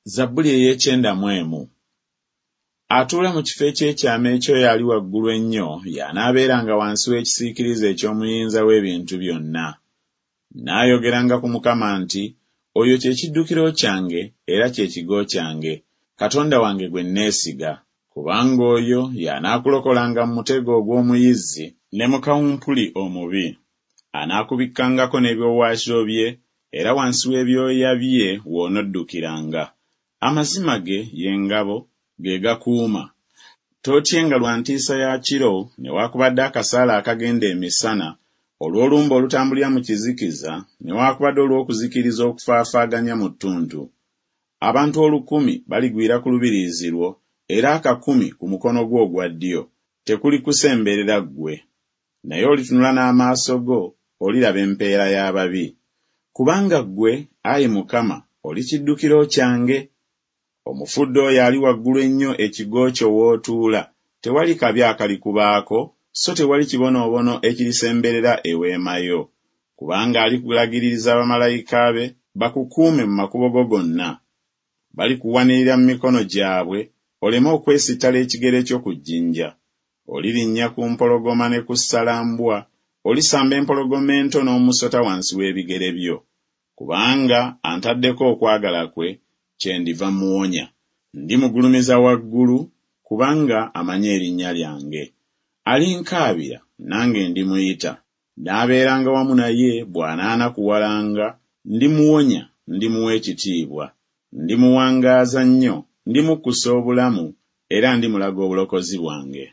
Zabbuli ey'ekyenda mu emu. Atuula mu kifo eky'ekyama eky'oyo Ali Waggulu Ennyo y'anaabeeranga wansi w'ekisiikirize eky'Omuyinza w'ebintu byonna. Nnaayogeranga ku Mukama nti, Oyo kye kiddukiro kyange era kye kigo kyange, Katonda wange gwe nneesiga. Kubanga oyo y'anaakulokolanga mu mutego ogw'omuyizzi, ne mu kawumpuli omubi. Anaakubikkangako n'ebiwaawaatiro bye, era wansi w'ebyoya bye w'onoddukiranga. Amazima ge ye ngabo, ge gakuuma. Tootyenga lwa ntiisa ya kiro, newaakubadde akasaale akagenda emisana, olw'olumbe olutambulira mu kizikiza, newaakubadde olw'okuzikiriza okufaafaaganya mu ttuntu. Abantu olukumi baligwira ku lubiriizi lwo, era akakumi ku mukono gwo ogwa ddyo, tekulikusemberera ggwe. Naye olitunula n'amaaso go, oliraba empeera y'ababi. Kubanga ggwe, ayi Mukama, oli kiddukiro kyange, Omufudde Oyo Ali Waggulu Ennyo ekigo kyo w'otuula, tewali kabi akalikubaako, so tewali kibonoobono ekirisemberera eweema yo. Kubanga alikulagiririza bamalayika be, bakukuume mu makubo go gonna. Balikuwanirira mu mikono gyabwe, oleme okwesittala ekigere kyo ku jjinja. Olirinnya ku mpologoma ne ku ssalambwa, olisamba empologoma ento n'omusota wansi w'ebigere byo. Kubanga antaddeko okwagala kwe, kyendiva mmuwonya. Ndimugulumiza waggulu, kubanga amanyi erinnya lyange. Alinkaabira, nange ndimuyita. Naabeeranga wamu naye bw'anaanakuwalanga, ndimuwonya, ndimuwa ekitiibwa. Ndimuwangaaza nnyo, ndimukkusa obulamu, era ndimulaga obulokozi bwange.